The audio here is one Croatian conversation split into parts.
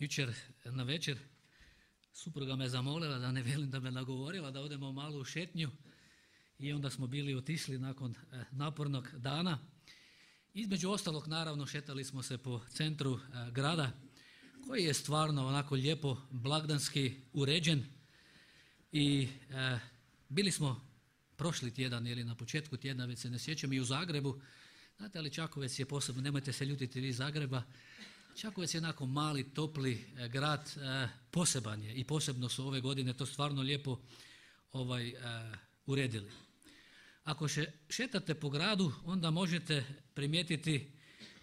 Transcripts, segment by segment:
jučer na večer supruga me zamolila da ne velim da me nagovorila da odemo malo u šetnju i onda smo bili otišli nakon napornog dana. Između ostalog naravno šetali smo se po centru grada koji je stvarno onako lijepo blagdanski uređen i bili smo prošli tjedan ili na početku tjedna, već se ne sjećam, i u Zagrebu. Znate, ali Čakovec je posebno, nemojte se ljutiti vi iz Zagreba, Čakovec je onako mali, topli grad, poseban je i posebno su ove godine to stvarno lijepo uredili. Ako šetate po gradu, onda možete primijetiti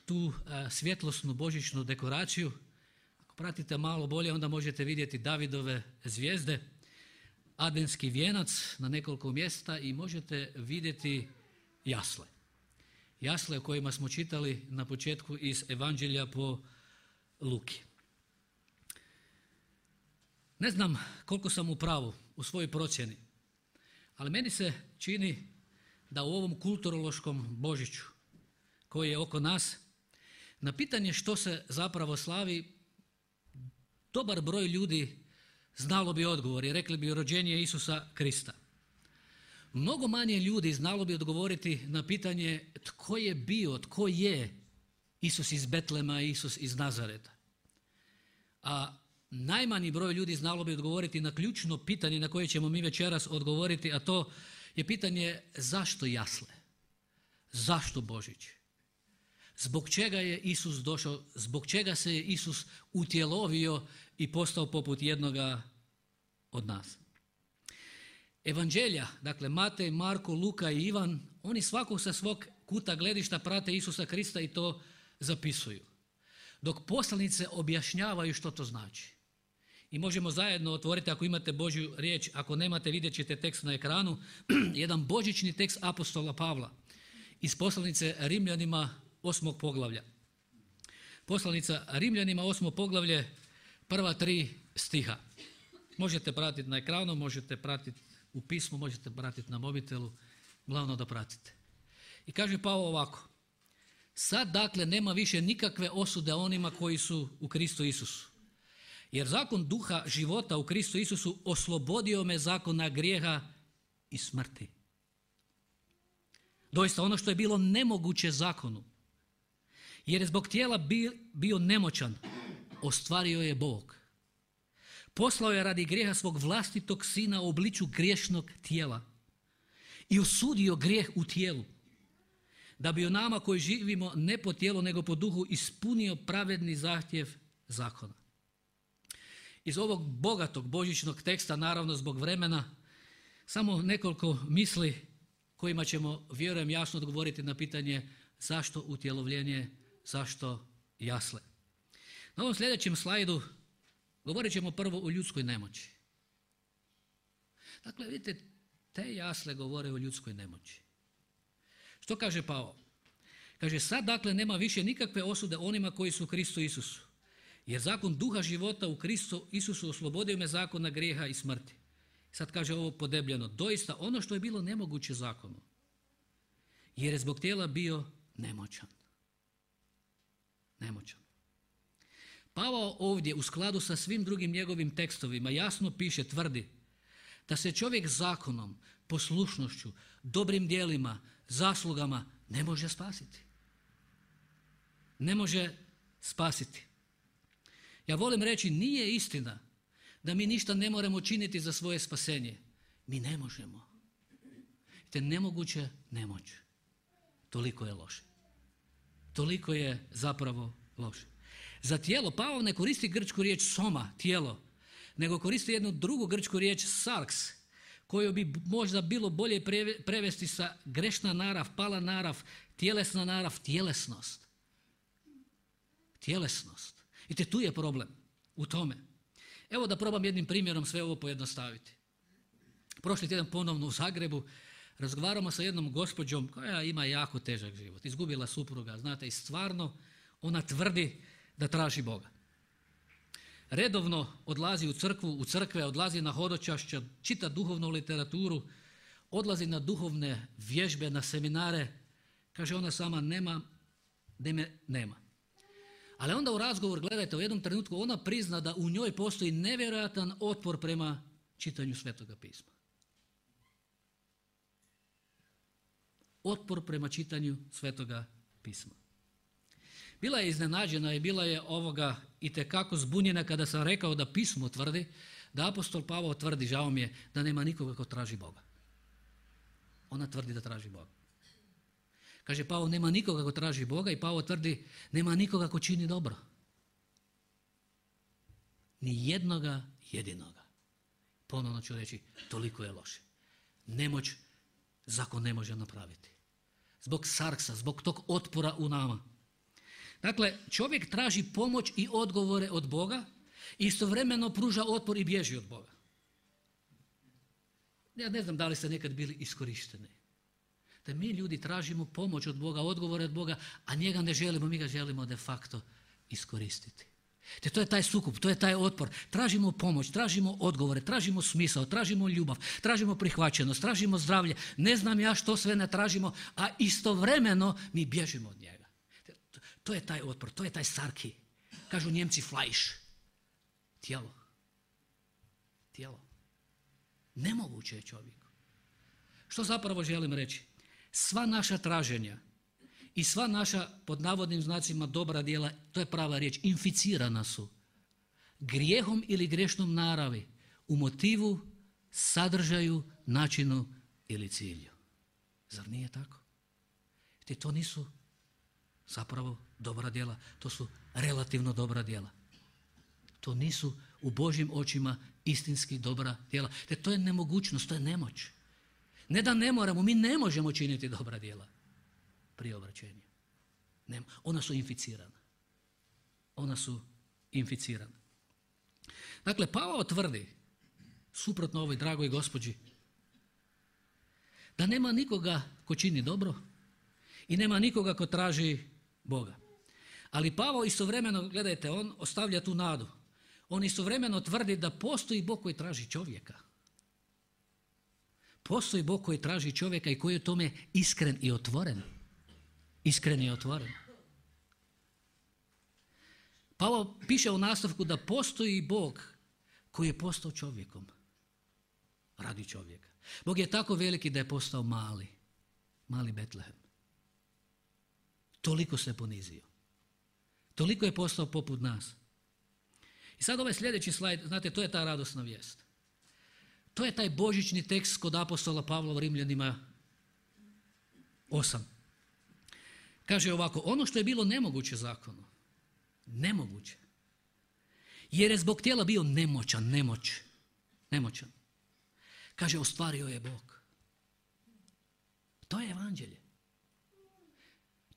tu svjetlosnu božićnu dekoraciju. Ako pratite malo bolje, onda možete vidjeti Davidove zvijezde, adventski vijenac na nekoliko mjesta i možete vidjeti jasle. Jasle o kojima smo čitali na početku iz Evanđelja po Luki. Ne znam koliko sam u pravu u svojoj procjeni, ali meni se čini da u ovom kulturološkom Božiću koji je oko nas, na pitanje što se zapravo slavi, dobar broj ljudi znalo bi odgovor i rekli bi rođenje Isusa Krista. Mnogo manje ljudi znalo bi odgovoriti na pitanje tko je bio, tko je Isus iz Betlema, Isus iz Nazareta. A najmanji broj ljudi znalo bi odgovoriti na ključno pitanje na koje ćemo mi večeras odgovoriti, a to je pitanje zašto jasle? Zašto Božić? Zbog čega je Isus došao, zbog čega se je Isus utjelovio i postao poput jednoga od nas? Evanđelja, dakle Matej, Marko, Luka i Ivan, oni svakog sa svog kuta gledišta prate Isusa Krista i to zapisuju. Dok poslanice objašnjavaju što to znači. I možemo zajedno otvoriti, ako imate Božju riječ, ako nemate vidjet ćete tekst na ekranu, jedan božićni tekst apostola Pavla iz poslanice Rimljanima 8. poglavlja. Poslanica Rimljanima 8. poglavlje, prva 3 stiha. Možete pratiti na ekranu, možete pratiti u pismu, možete pratiti na mobitelu, glavno da pratite. I kaže Pavao ovako: sad dakle nema više nikakve osude onima koji su u Kristu Isusu. Jer zakon duha života u Kristu Isusu oslobodio me zakona grijeha i smrti. Doista ono što je bilo nemoguće zakonu, jer je zbog tijela bio nemoćan, ostvario je Bog. Poslao je radi grijeha svog vlastitog sina u obliču griješnog tijela i osudio grijeh u tijelu, da bi o nama koji živimo ne po tijelu nego po duhu ispunio pravedni zahtjev zakona. Iz ovog bogatog božićnog teksta, naravno zbog vremena, samo nekoliko misli kojima ćemo, vjerujem, jasno odgovoriti na pitanje zašto utjelovljenje, zašto jasle. Na ovom sljedećem slajdu govorit ćemo prvo o ljudskoj nemoći. Dakle, vidite, te jasle govore o ljudskoj nemoći. Što kaže Pavao? Kaže, sad dakle nema više nikakve osude onima koji su u Kristu Isusu. Jer zakon duha života u Kristu Isusu oslobodio me zakona grijeha i smrti. Sad kaže ovo podebljeno: doista ono što je bilo nemoguće zakonu, jer je zbog tijela bio nemoćan. Nemoćan. Pavao ovdje u skladu sa svim drugim njegovim tekstovima jasno piše, tvrdi da se čovjek zakonom, poslušnošću, dobrim djelima, zaslugama ne može spasiti. Ne može spasiti. Ja volim reći, nije istina da mi ništa ne moramo činiti za svoje spasenje. Mi ne možemo. Te nemoguće nemoć. Toliko je loše. Toliko je zapravo loše. Za tijelo Pavao ne koristi grčku riječ soma, tijelo, nego koristi jednu drugu grčku riječ sarks, koju bi možda bilo bolje prevesti sa grešna narav, pala narav, tjelesna narav, tjelesnost. Tjelesnost. I te tu je problem u tome. Evo da probam jednim primjerom sve ovo pojednostaviti. Prošli tjedan ponovno u Zagrebu razgovaramo sa jednom gospođom koja ima jako težak život. Izgubila supruga, znate, i stvarno ona tvrdi da traži Boga. Redovno odlazi u crkve, odlazi na hodočašća, čita duhovnu literaturu, odlazi na duhovne vježbe, na seminare. Kaže ona sama, nema. Ali onda u razgovor, gledajte, u jednom trenutku ona prizna da u njoj postoji nevjerojatan otpor prema čitanju Svetoga pisma. Otpor prema čitanju Svetoga pisma. Bila je iznenađena i bila je itekako zbunjena kada sam rekao da pismo tvrdi, da apostol Pavao tvrdi, žao mi je, da nema nikoga ko traži Boga. Ona tvrdi da traži Boga. Kaže, Pavao nema nikoga ko traži Boga i Pavao tvrdi, nema nikoga ko čini dobro. Ni jednoga jedinoga. Ponovno ću reći, toliko je loše. Nemoć zakon ne može napraviti. Zbog sarksa, zbog tog otpora u nama. Dakle, čovjek traži pomoć i odgovore od Boga i istovremeno pruža otpor i bježi od Boga. Ja ne znam da li ste nekad bili iskorišteni. Da mi ljudi tražimo pomoć od Boga, odgovore od Boga, a njega ne želimo, mi ga želimo de facto iskoristiti. Te to je taj sukob, to je taj otpor. Tražimo pomoć, tražimo odgovore, tražimo smisao, tražimo ljubav, tražimo prihvaćenost, tražimo zdravlje. Ne znam ja što sve ne tražimo, a istovremeno mi bježimo od njega. To je taj otpor, to je taj sarki. Kažu Njemci Fleisch. Tijelo. Tijelo. Nemoguće je čovjeku. Što zapravo želim reći? Sva naša traženja i sva naša, pod navodnim znacima, dobra djela, to je prava riječ, inficirana su grijehom ili grešnom naravi u motivu, sadržaju, načinu ili cilju. Zar nije tako? Te to nisu zapravo dobra djela, to su relativno dobra djela. To nisu u Božjim očima istinski dobra djela. Te to je nemogućnost, to je nemoć. Ne da ne moramo, mi ne možemo činiti dobra djela prije obraćenja. Ona su inficirana. Ona su inficirana. Dakle, Pavao tvrdi, suprotno ovoj dragoj gospođi, da nema nikoga ko čini dobro i nema nikoga ko traži Boga. Ali Pavao istovremeno, gledajte, on ostavlja tu nadu. On istovremeno tvrdi da postoji Bog koji traži čovjeka. Postoji Bog koji traži čovjeka i koji je u tome iskren i otvoren. Iskren i otvoren. Pavao piše u nastavku da postoji Bog koji je postao čovjekom. Radi čovjeka. Bog je tako veliki da je postao mali Betlehem. Toliko se ponizio. Toliko je postao poput nas. I sad ovaj sljedeći slajd, znate, to je ta radosna vijest. To je taj božićni tekst kod apostola Pavla u Rimljanima 8. Kaže ovako, ono što je bilo nemoguće zakonu, nemoguće, jer je zbog tijela bio nemoćan. Kaže, ostvario je Bog. To je evanđelje.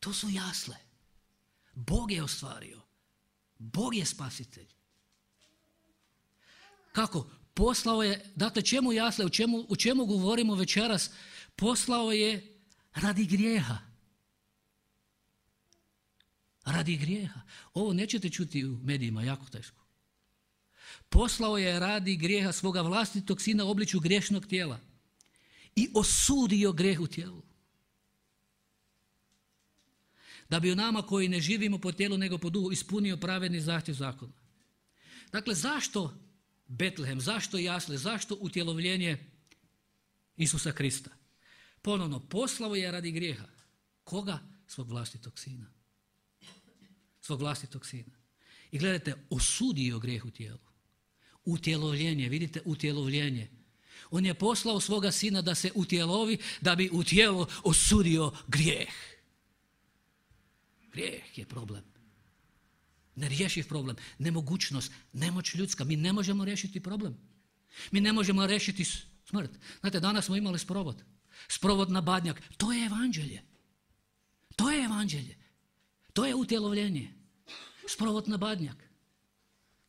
To su jasle. Bog je ostvario. Bog je spasitelj. Kako? Poslao je, dakle čemu jasle, o čemu govorimo večeras? Poslao je radi grijeha. Radi grijeha. Ovo nećete čuti u medijima, jako teško. Poslao je radi grijeha svoga vlastitog sina u obličju griješnog tijela i osudio grijeh u tijelu. Da bi u nama koji ne živimo po tijelu nego po duhu ispunio pravedni zahtjev zakona. Dakle, zašto Betlehem, zašto jasle, zašto utjelovljenje Isusa Krista? Ponovno, poslao je radi grijeha. Koga? Svog vlastitog sina. Svog vlastitog sina. I gledajte, osudio grijeh u tijelu. Utjelovljenje, vidite, utjelovljenje. On je poslao svoga sina da se utjelovi, da bi u tijelu osudio grijeh. Grijeh je problem. Nerješiv problem, nemogućnost, nemoć ljudska. Mi ne možemo riješiti problem. Mi ne možemo riješiti smrt. Znate, danas smo imali sprovod. Sprovod na Badnjak. To je evanđelje. To je evanđelje. To je utjelovljenje. Sprovod na Badnjak.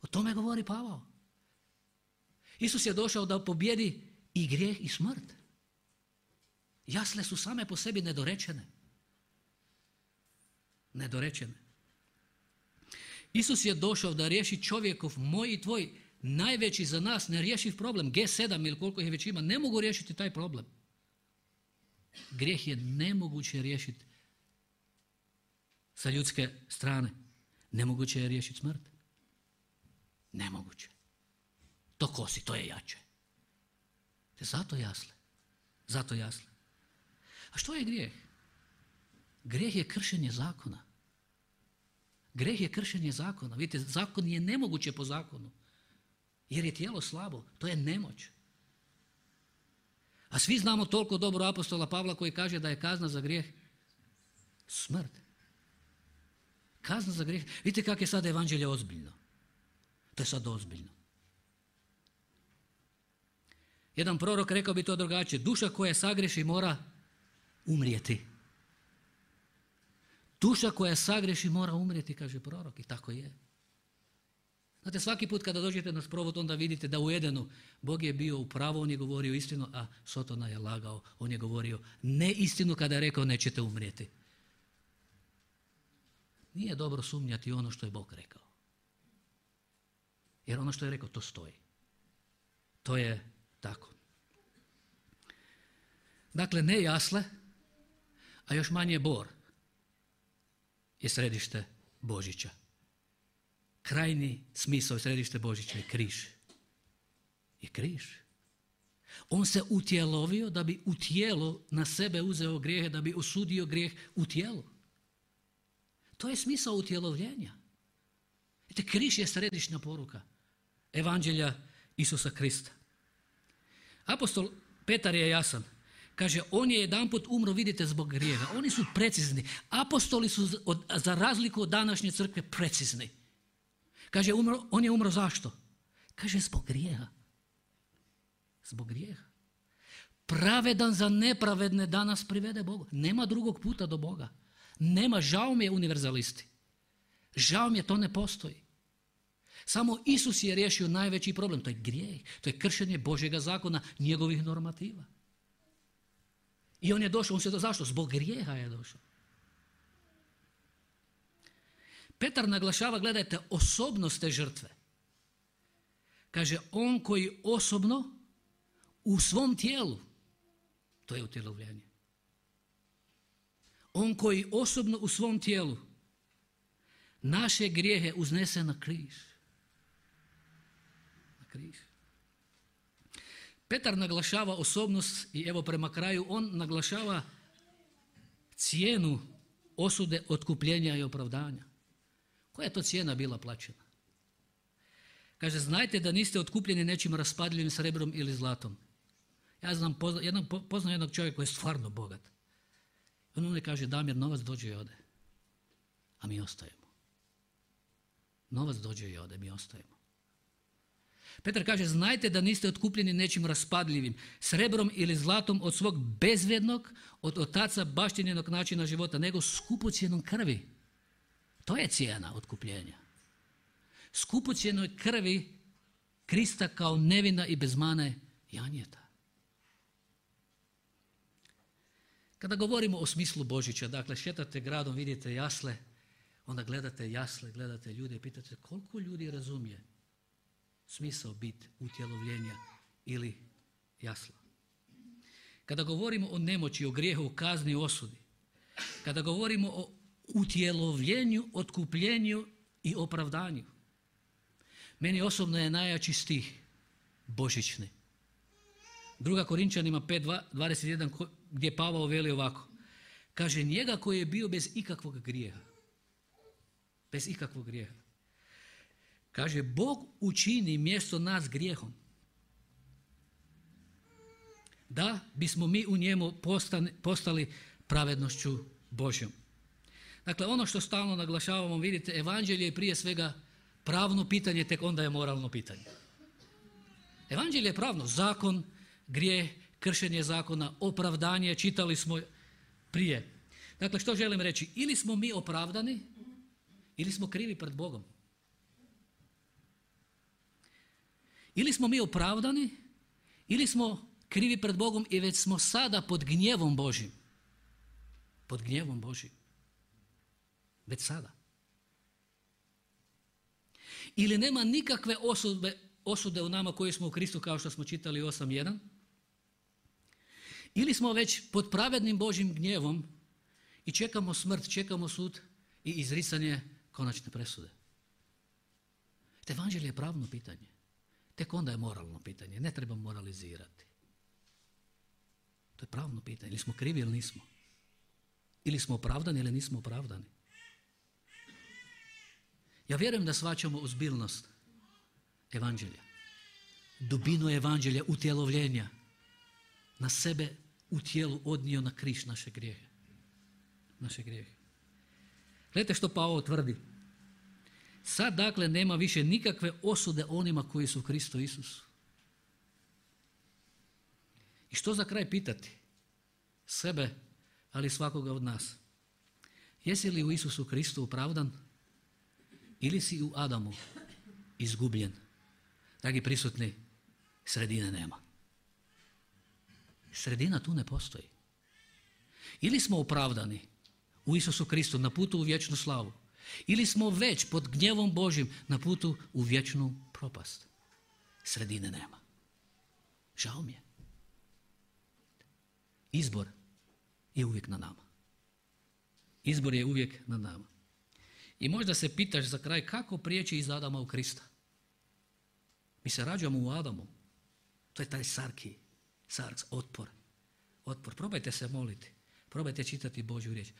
O tome govori Pavao. Isus je došao da pobjedi i grijeh i smrt. Jasle su same po sebi nedorečene. Nedorečene. Isus je došao da riješi čovjekov, moj i tvoj, najveći za nas nerješiv problem. G7 ili koliko ih već ima, ne mogu riješiti taj problem. Grijeh je nemoguće riješiti sa ljudske strane. Nemoguće je riješiti smrt. Nemoguće. To kosi, to je jače. Zato jasle. Zato jasle. A što je grijeh? Grijeh je kršenje zakona. Grijeh je kršenje zakona. Vidite, zakon je nemoguće po zakonu. Jer je tijelo slabo. To je nemoć. A svi znamo toliko dobro apostola Pavla koji kaže da je kazna za grijeh smrt. Kazna za grijeh. Vidite kako je sad evanđelje ozbiljno. To je sad ozbiljno. Jedan prorok rekao bi to drugačije. Duša koja sagreši mora umrijeti. Duša koja sagreši mora umrijeti, kaže prorok. I tako je. Znate, svaki put kada dođete na sprovod, onda vidite da u Edenu Bog je bio u pravu, on je govorio istinu, a Sotona je lagao. On je govorio neistinu kada je rekao nećete umrijeti. Nije dobro sumnjati ono što je Bog rekao. Jer ono što je rekao, to stoji. To je tako. Dakle, ne jasle, a još manje bor je središte Božića. Krajni smisao i središte Božića je križ. Je križ. On se utjelovio da bi u tijelo na sebe uzeo grijehe, da bi osudio grijeh u tijelu. To je smisao utjelovljenja. Vidite, križ je središnja poruka evanđelja Isusa Krista. Apostol Petar je jasan. Kaže, on je jedanput umro, vidite, zbog grijeha. Oni su precizni. Apostoli su za razliku od današnje crkve precizni. Kaže, on je umro zašto? Kaže, zbog grijeha. Zbog grijeha. Pravedan za nepravedne danas privede Bogu. Nema drugog puta do Boga. Nema, žao mi je univerzalisti. Žao mi je, to ne postoji. Samo Isus je riješio najveći problem. To je grijeh. To je kršenje Božjega zakona, njegovih normativa. I on je došao, zašto? Zbog grijeha je došao. Petar naglašava, gledajte, osobnost te žrtve. Kaže, on koji osobno u svom tijelu, to je utjelovljenje. On koji osobno u svom tijelu naše grijehe uznese na križ. Na križ. Petar naglašava osobnost i evo prema kraju on naglašava cijenu osude, otkupljenja i opravdanja. Koja je to cijena bila plaćena? Kaže, znajte da niste otkupljeni nečim raspadljivim srebrom ili zlatom. Ja poznam jednog čovjeka koji je stvarno bogat. On ne kaže, Damir, novac dođe i ode. A mi ostajemo. Novac dođe i ode, mi ostajemo. Petar kaže, znajte da niste otkupljeni nečim raspadljivim, srebrom ili zlatom od svog bezvrijednog, od otaca baštinjenog načina života, nego skupocjenom krvi. To je cijena otkupljenja. Skupocjenoj krvi Krista kao nevina i bez mane janjeta. Kada govorimo o smislu Božića, dakle šetate gradom, vidite jasle, onda gledate jasle, gledate ljude i pitate koliko ljudi razumije smisao bit utjelovljenja ili jasla. Kada govorimo o nemoći, o grijehu, o kazni, o osudi, kada govorimo o utjelovljenju, otkupljenju i opravdanju, meni osobno je najjači stih božićni. 2. Korinčanima 5:21 gdje Pavao veli ovako. Kaže, njega koji je bio bez ikakvog grijeha. Bez ikakvog grijeha. Kaže, Bog učini mjesto nas grijehom. Da bismo mi u njemu postali pravednošću Božjom. Dakle, ono što stalno naglašavamo, vidite, evanđelje je prije svega pravno pitanje, tek onda je moralno pitanje. Evanđelje je pravno, zakon, grijeh, kršenje zakona, opravdanje, čitali smo prije. Dakle, što želim reći? Ili smo mi opravdani, ili smo krivi pred Bogom. Ili smo mi opravdani, ili smo krivi pred Bogom i već smo sada pod gnjevom Božjim. Pod gnjevom Božjim. Već sada. Ili nema nikakve osude u nama koji smo u Kristu, kao što smo čitali 8.1. Ili smo već pod pravednim Božjim gnjevom i čekamo smrt, čekamo sud i izricanje konačne presude. Te evanđelje je pravno pitanje. Tek onda je moralno pitanje. Ne treba moralizirati. To je pravno pitanje. Ili smo krivi ili nismo. Ili smo opravdani ili nismo opravdani. Ja vjerujem da shvaćamo ozbiljnost evanđelja. Dubinu evanđelja, utjelovljenja. Na sebe u tijelu odnio na križ naše grijehe. Naše grijehe. Gledajte što Pavao tvrdi. Sad dakle nema više nikakve osude onima koji su u Kristu Isusu. I što za kraj pitati? Sebe, ali svakoga od nas. Jesi li u Isusu Kristu opravdan ili si u Adamu izgubljen? Dragi prisutni, sredine nema. Sredina tu ne postoji. Ili smo opravdani u Isusu Kristu na putu u vječnu slavu, ili smo već pod gnjevom Božjim na putu u vječnu propast. Sredine nema. Žao mi je. Izbor je uvijek na nama. Izbor je uvijek na nama. I možda se pitaš za kraj kako prijeći iz Adama u Krista. Mi se rađamo u Adamu. To je taj sarks, otpor. Probajte se moliti. Probajte čitati Božju riječ.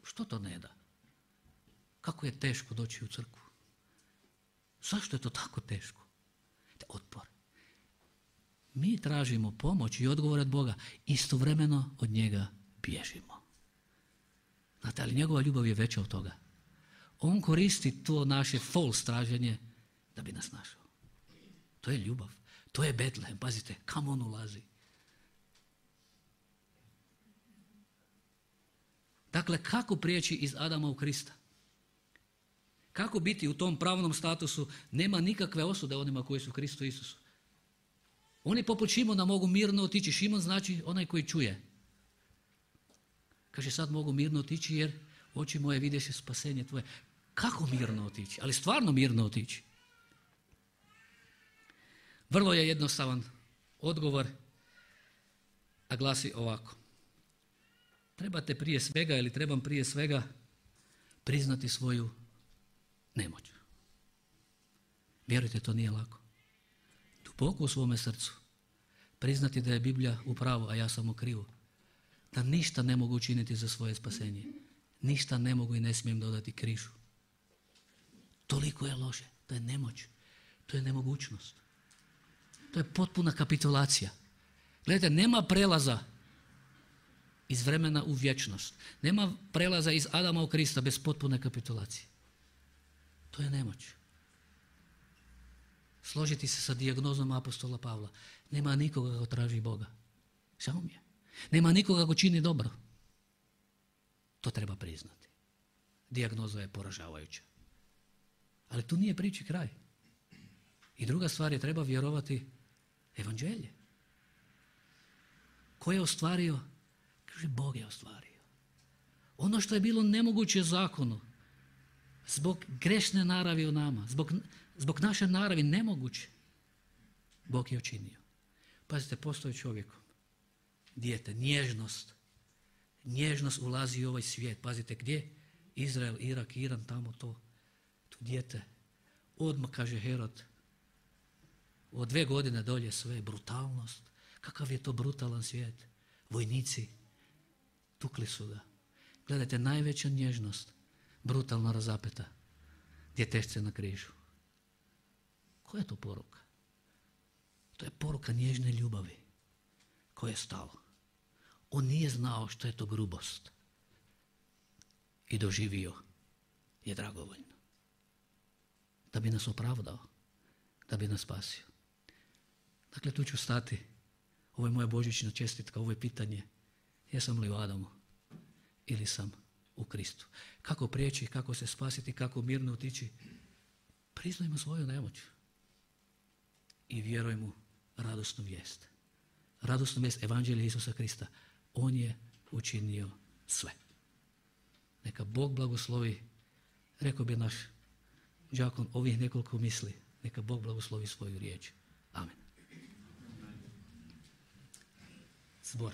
Što to ne da? Kako je teško doći u crkvu? Zašto je to tako teško? Otpor. Mi tražimo pomoć i odgovor od Boga. Istovremeno od njega bježimo. Znate, ali njegova ljubav je veća od toga. On koristi to naše false traženje da bi nas našao. To je ljubav. To je Betlehem. Pazite, kam on ulazi. Dakle, kako prijeći iz Adama u Krista? Kako biti u tom pravnom statusu? Nema nikakve osude onima koji su u Kristu Isusu. Oni poput Šimona mogu mirno otići. Šimon znači onaj koji čuje. Kaže, sad mogu mirno otići jer oči moje vidješe spasenje tvoje. Kako mirno otići? Ali stvarno mirno otići. Vrlo je jednostavan odgovor, a glasi ovako. Trebate prije svega ili trebam prije svega priznati svoju nemoć. Vjerujte, to nije lako. Duboko u svome srcu priznati da je Biblija u pravu, a ja sam u krivu. Da ništa ne mogu učiniti za svoje spasenje. Ništa ne mogu i ne smijem dodati križu. Toliko je loše. To je nemoć. To je nemogućnost. To je potpuna kapitulacija. Gledajte, nema prelaza iz vremena u vječnost. Nema prelaza iz Adama u Krista bez potpune kapitulacije. To je nemoć. Složiti se sa dijagnozom apostola Pavla. Nema nikoga ko traži Boga. Žao mi je. Nema nikoga ko čini dobro. To treba priznati. Dijagnoza je poražavajuća. Ali tu nije priči kraj. I druga stvar je, treba vjerovati evanđelje. Ko je ostvario? Kaže, Bog je ostvario. Ono što je bilo nemoguće zakonu, zbog grešne naravi u nama, zbog naše naravi nemoguće, Bog je učinio. Pazite, postoji čovjekom. Dijete, nježnost. Nježnost ulazi u ovaj svijet. Pazite, gdje? Izrael, Irak, Iran, tamo to. Tu dijete. Odmah, kaže Herod, od 2 godine dolje sve, brutalnost. Kakav je to brutalan svijet. Vojnici, tukli su ga. Gledajte, najveća nježnost, brutalno razapeta, djetešce na križu. Koja je to poruka? To je poruka nježne ljubavi koje je stalo. On nije znao što je to grubost i doživio je dragovoljno. Da bi nas opravdao, da bi nas spasio. Dakle, tu ću stati. Ovo je moja božićna čestitka, ovo je pitanje. Jesam li u Adamu ili sam u Kristu? Kako prijeći, kako se spasiti, kako mirno otići? Priznajmo svoju nemoć i vjerujmo radosnu vijest. Radosnu vijest evanđelja Isusa Krista. On je učinio sve. Neka Bog blagoslovi, rekao bi naš đakon, ovih nekoliko misli. Neka Bog blagoslovi svoju riječ. Amen. Zbor.